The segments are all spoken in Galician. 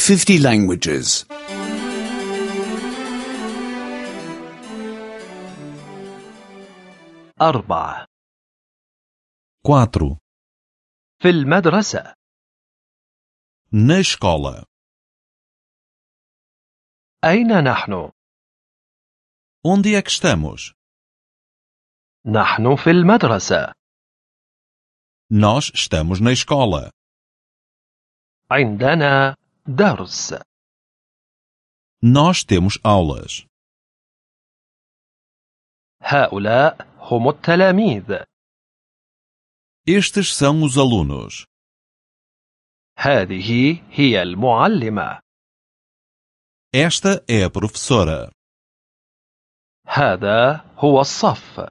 50 languages. 4. 4. في المدرسة. Na escola. أين نحن؟ Onde é que estamos? نحن في المدرسة. Nós estamos na escola. عندنا درس. Nós temos aulas. هؤلاء هم التلاميذ. Estes são os alunos. هذه هي المعلمة. Esta é a professora. هذا هو الصف.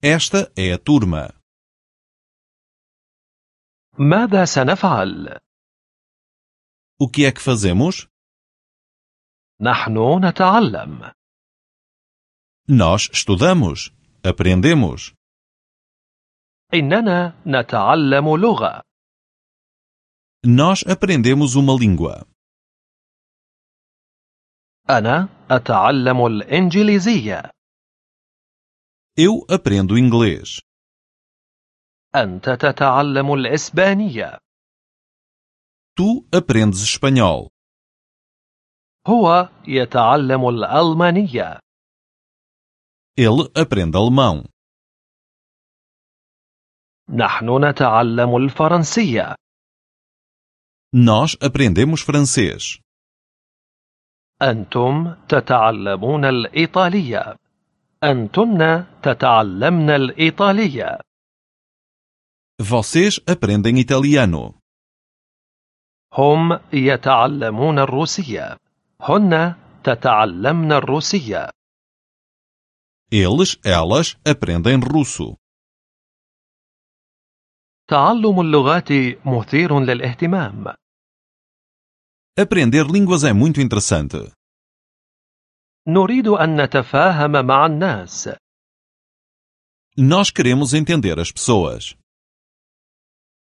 Esta é a turma. ماذا سنفعل؟ O que é que fazemos? نحن نتعلم. Nós estudamos. Aprendemos. إننا نتعلم لغة. Nós aprendemos uma língua. أنا أتعلم الإنجليزية. Eu aprendo inglês. أنت تتعلم الإسبانية. Tu aprendes espanhol. هو يتعلم الألمانية. Ele aprende alemão. نحن نتعلم الفرنسية. Nós aprendemos francês. أنتم تتعلمون الإيطالية. أنتن تتعلمن الإيطالية. Vocês aprendem italiano. هم يتعلمون الروسية. هن تتعلمن الروسية. Elas aprendem russo. تعلم اللغات مثير للاهتمام. Aprender línguas é muito interessante. نريد أن نتفاهم مع الناس. Nós queremos entender as pessoas.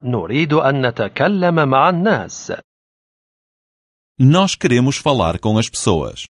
نريد أن نتكلم مع الناس. Nós queremos falar com as pessoas.